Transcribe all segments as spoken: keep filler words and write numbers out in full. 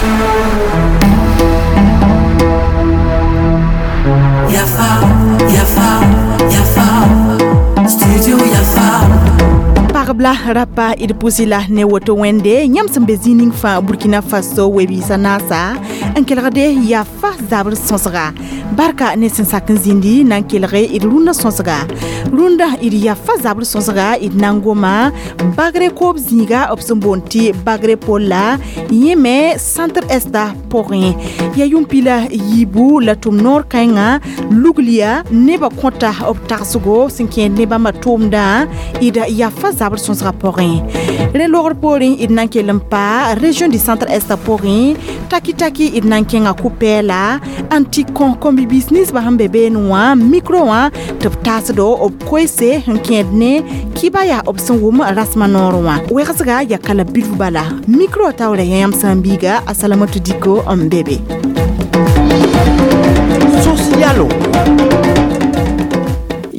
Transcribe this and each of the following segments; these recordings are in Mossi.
Yafa, Yafa, Yafa, Studio Yafa. Pagb la rapa d pʋsɩ la ne woto wẽnde yãmb sẽn be zĩig ning fãa Burkina Faso we-biisã naasa n kelgde yafa zabr sõsga barka ne sẽn sak n zĩndi na n kelge d rũndã sõsga rũndã d yafa zabr sõsga d na n goma bagre koob zĩiga b sẽn boond tɩ bagre polla yẽ me centre esta pʋgẽ ya yʋm pila yiibu la tʋm noor kãenga luglia nebã kõta b tagsgo sẽn kẽed ne bãmba tʋʋmdã d yafa zabr sõsga pʋgẽ rẽ logr poorẽ d na n kell n pa région du centre est pʋgẽ taki taki d na n kẽnga kʋ-pɛɛla n tɩ kõ kɔm-bibiis ninsbã sẽn be beene wã micro wã tɩ b taasdo b koeese sẽn kẽed ne kɩba yaa b sẽn wʋm rasmã noor wã wegsga ya kala bilf bala micro taoora yã yãmb sã n biiga a Salamatu Diko n be be. Socialo.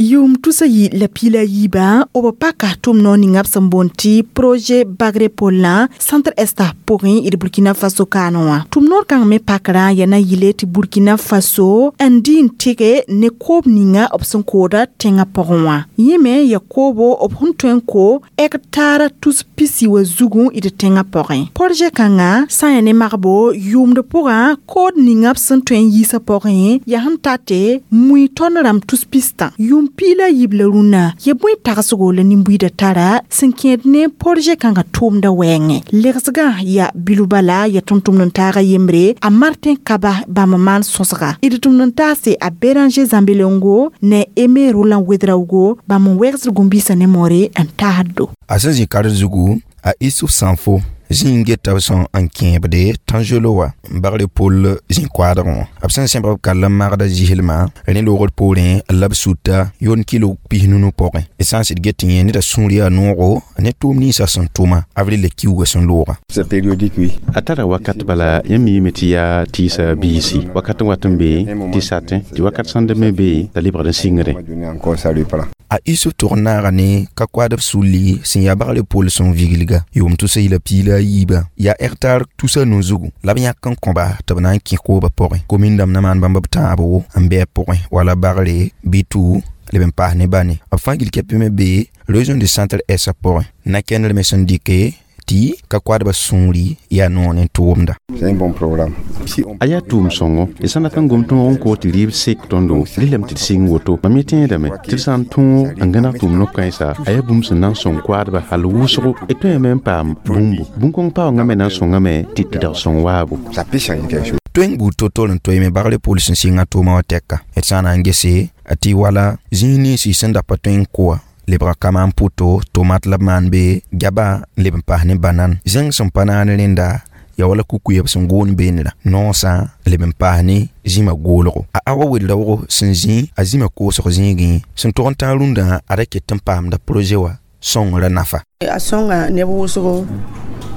Yʋʋm tusa yi la piila yiibã b paka tʋm noor ninga b sẽn boond tɩ projet bagre pollã centre esta pʋgẽ d Burkina Faso kaanẽ wã tʋm noor kãng me pakrã yaa na yɩle tɩ Burkina Faso n dɩ n tɩge ne koob ninga b sẽn kooda tẽngã pʋgẽ wã yẽ me ya koobo b sẽn tõe n ko hectare tus pisi wa zugu d tẽngã pʋgẽ projet kãngã sã n yaa ne magbo yʋʋmd pʋgã kood ninga b sẽn tõe n yiisã pʋgẽ yaa sẽn tate mui tõnd rãmb tus pistã yʋʋm piila yiib la rũnnã ya bõe tagsgo la nin-buiidã tara sẽn kẽed ne projet kãngã tʋʋmdã wɛɛngẽ legsgã ya bilf bala ya tʋm-tʋmd n taaga yembre a Martin Kaba bãmb maan sõsga d tʋmd n taase a Béranger Zambelengo ne Aimé Roland Ouedraogo bãmb n wegsd gũm-biisã ne moore n taasdo. A sẽn zĩ kard zugu a Isuf Sãnfo zĩ n geta b sẽn n kẽebde tãnzelo wã n bagre pol zĩ-koaadgẽ wã b sẽn sẽbg b kall n magda zislmã rẽ loogr poorẽ la b suta yon kilo pis-nunu pʋgẽ d sã n sɩd get yẽ neda sũur yaa noogo ne tʋʋm ninsã sẽn tʋma avril la kiuugã sẽn looga. C'est périodique, oui. A tara wakat bala yãmb miime tɩ yaa tɩɩsa biisi wakat n wat n be tɩ satẽ tɩ wakat sãn da me be t'a lebgd n sɩngre. Donné encore, ça reprend. A Isuf tʋg n naaga ne ka koaadb sulli sẽn yaa bagre pol sẽn viglga yʋʋm tʋsa yila piila a yiibã yaa hectare tusa nu zugu la b yãk n kõba tɩ b na n kẽ koobã pʋgẽ komin dãmb na maan bãmb b tãabo n bɩ a pʋgẽ wala bagre bɩ tʋ leb n paas ne bane b fãa gil kɛpɩ me be région du centre est pʋgẽ na-kẽndr me sẽn dɩke tɩ ka koadbã sũuri yaa noor ne tʋʋmda. C'est un bon programme. Si on A yaa tʋʋm sõngo d sã n dat n gom tõog n koos tɩ rɩɩb sek tõndo rɩlame tɩ d sɩng woto mam yẽ tẽedame tɩ d sã n tõog n gãneg tʋʋm no-kãensa a yaa bũmb sẽn na n sõng koadba hal wʋsgo d tõeme n paam bũmbu bũn-kõng paoongã me na n sõngame tɩ tɩ dag sõng waabo. Ça peut changer quelque chose. Tõe n buud to-to n toeeme bagre pol sẽn sɩnga tʋʋmã wã tɛka d sã n na n gese tɩ wala zĩig ninsi sẽn da pa tõe n koa lebga kama n pʋto tomat la b maan be gaba n leb n paas ne banan zẽng sẽn pa naan rẽnda ya wala kukuyb sẽn goon beenra noosã leb n paas ne zĩmã goolgo a awa wel-raoogo sẽn zĩ a zĩmã koosg zĩigẽ sẽn tog n tãag rũndã ada ket n paamda projet wã sõngrã nafa. A sõnga neb wʋsgo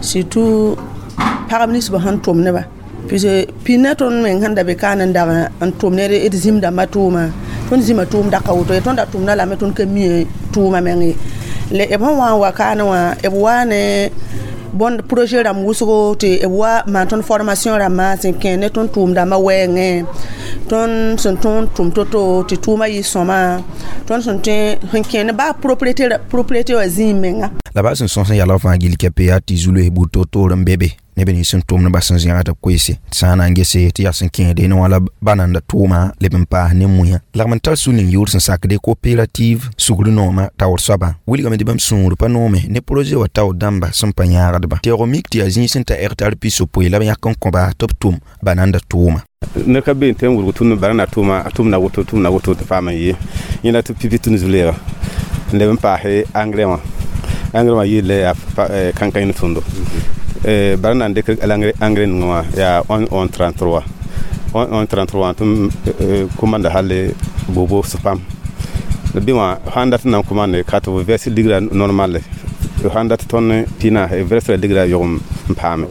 surtout pagb ninsbã sẽn tʋm neba puisque pĩnã tõnd meng sẽn da be kaan n dag n tʋm ne d zĩm dãmbã tʋʋma tõnd zĩma tʋʋm daka woto ye tõnd da tʋmda lame tõnd ka mi tʋʋma meng ye le b sẽn wa n wa kaane wã b waa ne bõnd projet rãmb wʋsgo tɩ b wa maan tõnd formation rãmbã sẽn kẽ ne tõnd tʋʋm dãmbã wɛɛngẽ tõnd sẽn tõnd tʋm to-to tɩ tʋʋmã yɩ sõma tõnd sẽn tõe sẽn kẽ ne baa propriété propriété wã zĩig menga. La baa sẽn sõs n yalg fãa gil kɛpɛ yaa tɩ zu-loes buud to-toor n be be neb nins sẽn tʋmdbã sẽn zẽgd b koeese tɩ sã n na n gese tɩ yaa sẽn kẽede ne wã la bananda tʋʋma leb n paas ne mũyã lagm n tar sul n yʋʋr sẽn sakde coopérative sugr noomã taoor soabã wilgame tɩ bãmb sũur pa noome ne projet wã taoor dãmba sẽn pa yãagdba teoog mik tɩ yaa zĩig sẽn ta hectare pis-yopoe la b yãk n kõba tɩ b tʋm bananda tʋʋma. Ned ka be n tõe n wʋrg tũud barãna tʋʋma a tʋmda woto tʋmda woto tɩ paam n yɩ yẽla tɩ pipi tũud zu-leega n leb n paase engrais wã engrais wã yɩɩl yaa kãn-kãng ne tõndo bara na n dɩk engrais ninga wã yaa onze onze trente-trois onze onze trente-trois tɩ komanda hal bobo pam la bɩ wã sãn dat n na n komande ka tɩ b verse ligrã normal sãn dat tõnd pina verse la ligrã yʋgem n paame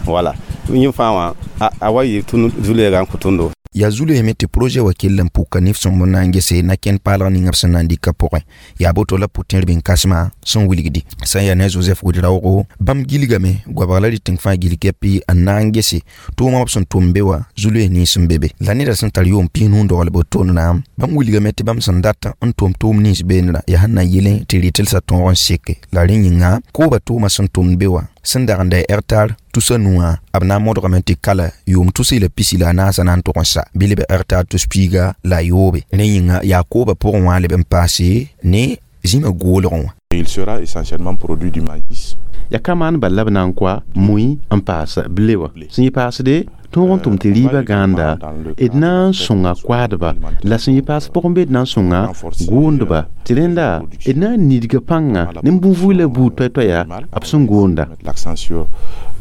wala yẽ fãa wã a wa yɩ tũud zu-leegã n kõ tõndo. Yaa zu-loeesme tɩ projet wa kell n puka nif sõmb n na n gese na-kẽnd paalg ninga b sẽn na n dɩka pʋgẽ yaa boto la pʋ-tẽr bĩn-kãsmã sẽn wilgdi sã n yaa ne Joseph Ouedraogo bãmb gilgame goabg la rɩtẽng fãa gil kɛpɩ n na n gese tʋʋmã b sẽn tʋm be wã zu-loees nins n be be la neda sẽn tar yʋʋm piis-nu n dogl bo-tondrã bãmb wilgame tɩ bãmb sẽn dat n tʋm tʋʋm nins beenrã yaa sẽn na yelẽ tɩ rɩtelsã tõog n seke la rẽ yĩnga kooba tʋʋmã sẽn tʋmd be wã sẽn dag n da hectare tusa nuwã b na n modgame tɩ kala yʋʋm tus la pisi la a naasã na n tʋg n sa bɩ leb hectare tus piiga la a yoobe rẽ yĩnga yaa kooba pʋgẽ wã leb n paase ne zĩmã goolgẽ wã. Il sera essentiellement produit du maïs. Ya ka maan bal la b na n koa mui n paas ble wã sẽn yɩ paasde tõog n tʋm tɩ rɩɩbã gãanda d na n sõnga koaadba la sẽn yɩ paas pʋgẽ be d na n sõnga goondba tɩ rẽnda d na n nidga pãnga ne bũn-vuy la buud toay-toaya b sẽn goonda. L'accent sur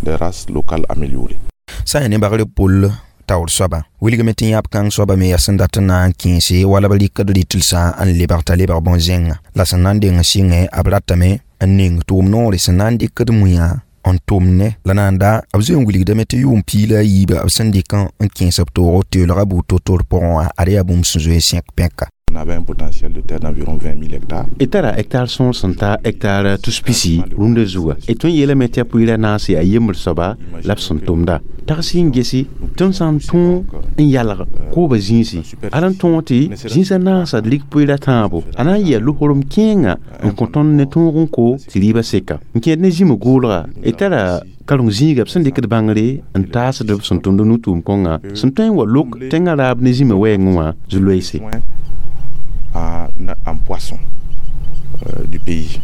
des races locales améliorées. Sã n yaa ne bagr pol taoor soaba wilgame tɩ yãb kãng soaba me yaa sẽn dat n na n kẽese wala b rɩkd rɩtelsã n lebg t'a lebg bõn-zẽnga la sẽn na n deng sɩngẽ b ratame n ning tʋʋm noore sẽn na n dɩkd mũyã n tʋm ne la na n da b zoe n wilgdame tɩ yʋʋm piig la a yiiba b sẽn dɩk n kẽes b toogo teoolga buud to-tor pʋgẽ wã ad yaa bũmb sẽn zoe sẽk pẽka. On avait un potentiel de terre d'environ vingt mille hectares. D tara hectare sõor sẽn ta hectare tus pisi rũndã zuga d tõe n yeelame tɩ yaa pʋɩɩrã naase a yembr soaba la b sẽn tʋmda tags n gesi tõnd sã n tõog n yalg kooba zĩisi ala n tõog tɩ zĩisã naasa d lik pʋɩɩrã tãabo a na n yɩa losorem kẽenga n kõ tõnd ne tõog n ko tɩ rɩɩbã seka n kẽed ne zĩma goolga d tara kareng zĩiga b sẽn dɩkd bãngre n taasd b sẽn tʋmd nu-tʋʋm kõnga sẽn tõe n wa lok tẽngã raab ne zĩma wɛɛngẽ wã zu-loeese. En, en poisson euh, du pays.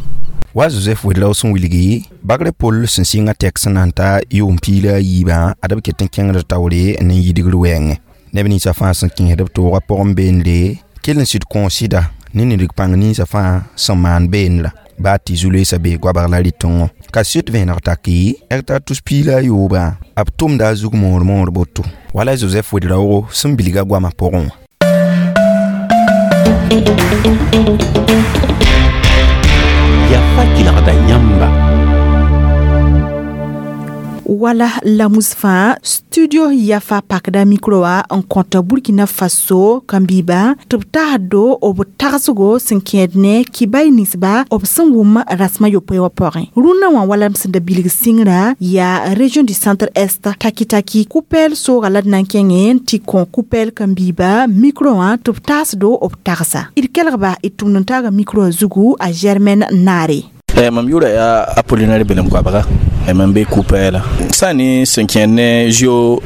Wa Joseph Ouedraogo sẽn wilgi bagr pol sẽn sɩnga tɛk sẽn na n ta yʋʋm piig la a yiibã ad b ket n kẽngd taoore ne yidgr wɛɛngẽ neb ninsã fãa sẽn kẽesd b toogã pʋgẽ beendre kell n sɩd kõo sɩda ne nidg pãng ninsã fãa sẽn maan beenrã baa tɩ zu-loeesã bee goabg la rɩtẽngõ ka sɩd vẽeneg taki hectare tus piig la a yoobã b tʋmda a zug moor moor boto wala Joseph Ouedraogo sẽn bilga goamã pʋgẽ wã. Yafa kelgda yãmba. Wala lamus fãa studio Yafa pakda micro wã n kõta Burkina Faso kãn-biiba tɩ b taasdo b tagsgo sẽn kẽed ne kibay ninsba b sẽn wʋm rasmã yopoe wã pʋgẽ rũnnã wã wala b sẽn da bilg sɩngrã yaa région du centre est taki-taki kupɛɛl sooga la d na n kẽngẽ n tɩ kõ kupɛɛl kãn-biiba micro wã tɩ b taasdo b tagsa d kelgba d tʋmd n taaga micro wã zugu a Germaine Naare. Mam yʋʋra yaa Apollinaire Belem koabga mam be Koupɛɛla sã ne sẽn kẽed ne Jeux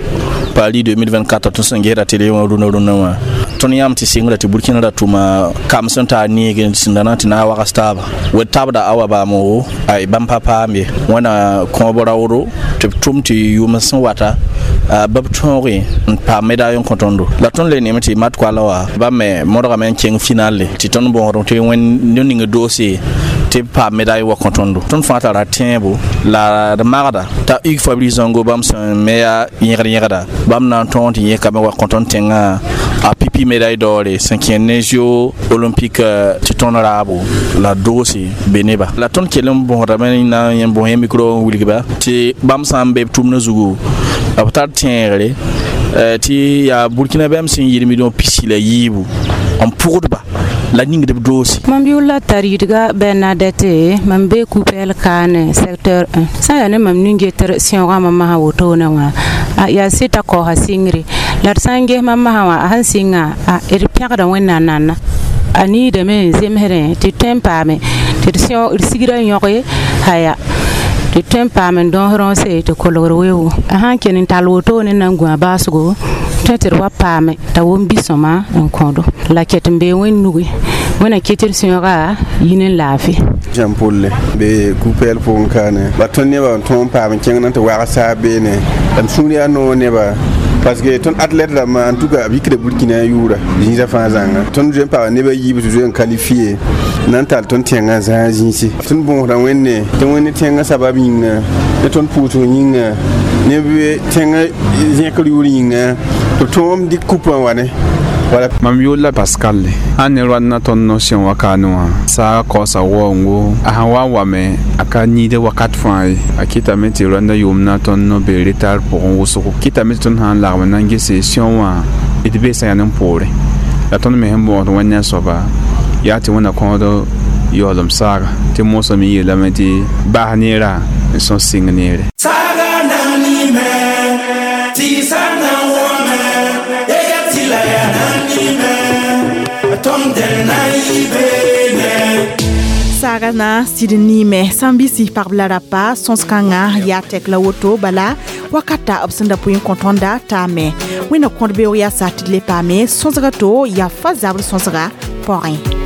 Paris deux mille vingt-quatre tõnd sẽn gesda télé wã rũnã rũnã wã tõnd yãmb tɩ sɩngrã tɩ Burkina ra tʋma kam sẽn taa neeg sẽn da na tɩ na n wags taaba wed tabda awa baamo ay bãmb pa paam ye wẽna kõob raoodo tɩ b tʋm tɩ yʋʋm sẽn wata bɩ b tõoge n paam médaille n kõ tõndo la tõnd le neeme tɩ mat koala wã bãmb me modgame n kẽng finale tɩ tõnd bõosd tɩ wẽnd ning doose tɩ b paam médaille wa kõ tõndo tõnd fãa tara tẽebo la d magda t'a Hugues Fabrice Zango bãmb sẽn me yaa yẽgd yẽgda bãmb na n tõog tɩ yẽkame wa kõ tõnd tẽngã a pipi médaille d'or sẽn kẽnd ne Jeux olympique tɩ tõnd raabo la doose be neba la tõnd kell n bõsdame na n bõs yẽ micro n wilgba tɩ bãmb sã n be b tʋmdã zugu b tar tẽegre tɩ yaa Burkina bãmb sẽn yɩɩd million pisi la yiibu n pʋgdba la ningd b doose. Mam yʋʋr la tar yidga Bernadette mam be Koupɛɛl kaane secteur un sã n yaa ne mam nin-getr sẽoogã mam masã wotone wã yaa sɩta kaoosa sɩngre la d sã n ges mam masã wã a sẽn sɩnga d pẽgda Wẽnnaam nana a niidame n zemsdẽ tɩ tõe n paame tɩ d sẽoog d sigrã yõge haya tɩ tõe n paam n dõos rõose tɩ kolgr weoogo a sã n kell n tall wotone na n gũ a baasgo tõe tɩ d wa paame t'a wʋm bi-sõma n kõdo la ket n bee wẽnd nuge wẽna ket d sẽooga yi ne laafɩ. Jean Paul be Koupɛɛl pʋgẽ kaane la tõnd nebã n tõog n paam n kẽng na tɩ wags saab beene la m sũur yaa noog neba parce que tõnd athlète rãmbã en tout cas b yikda Burkina yʋʋra zĩisã fãa zãnga tõnd zoe n paga neb a yiib tɩ zoe n qualifié na n tall tõnd tẽngã zãag zĩisi tõnd bõosda Wẽnde tɩ Wẽnd tẽngã sabab yĩnga ne tõnd pʋʋsg yĩnga ne tẽngã zẽkr yʋʋr yĩnga tɩ b tõog n dɩk kupã wa ne. Voilà. Mam yʋʋr la Pascal sãn ne roan na tõnd no-sẽn wa kaane wã saaga kaoosa waoongo a sãn wa n wame a ka niide wakat fãa ye a kɩtame tɩ rõanda yʋʋm na tõnd no be retard pʋgẽ wʋsgo kɩtame tɩ tõnd sã n lagm na n gese sẽo wã d bee sã yaa poore la tõnd me sẽn bõosd wẽnd soaba yaa tɩ wẽnna kõod yaoolem saaga tɩ mosã me yeelame tɩ bas neerã n sõs sɩng neere. Saga nani me, tisa na wome, ega tila ya nani me, tom del na ibene. Saaga na sɩd niime sãn bɩ pagb la rapa sõs-kãngã yaa tɛk la woto bala wakata b sẽn da pʋɩ n kõ tõnda taame wẽnna kõd beoog yaa sa tɩ d le paame sõsga to yaa fa zabr sõsga pɔgẽ.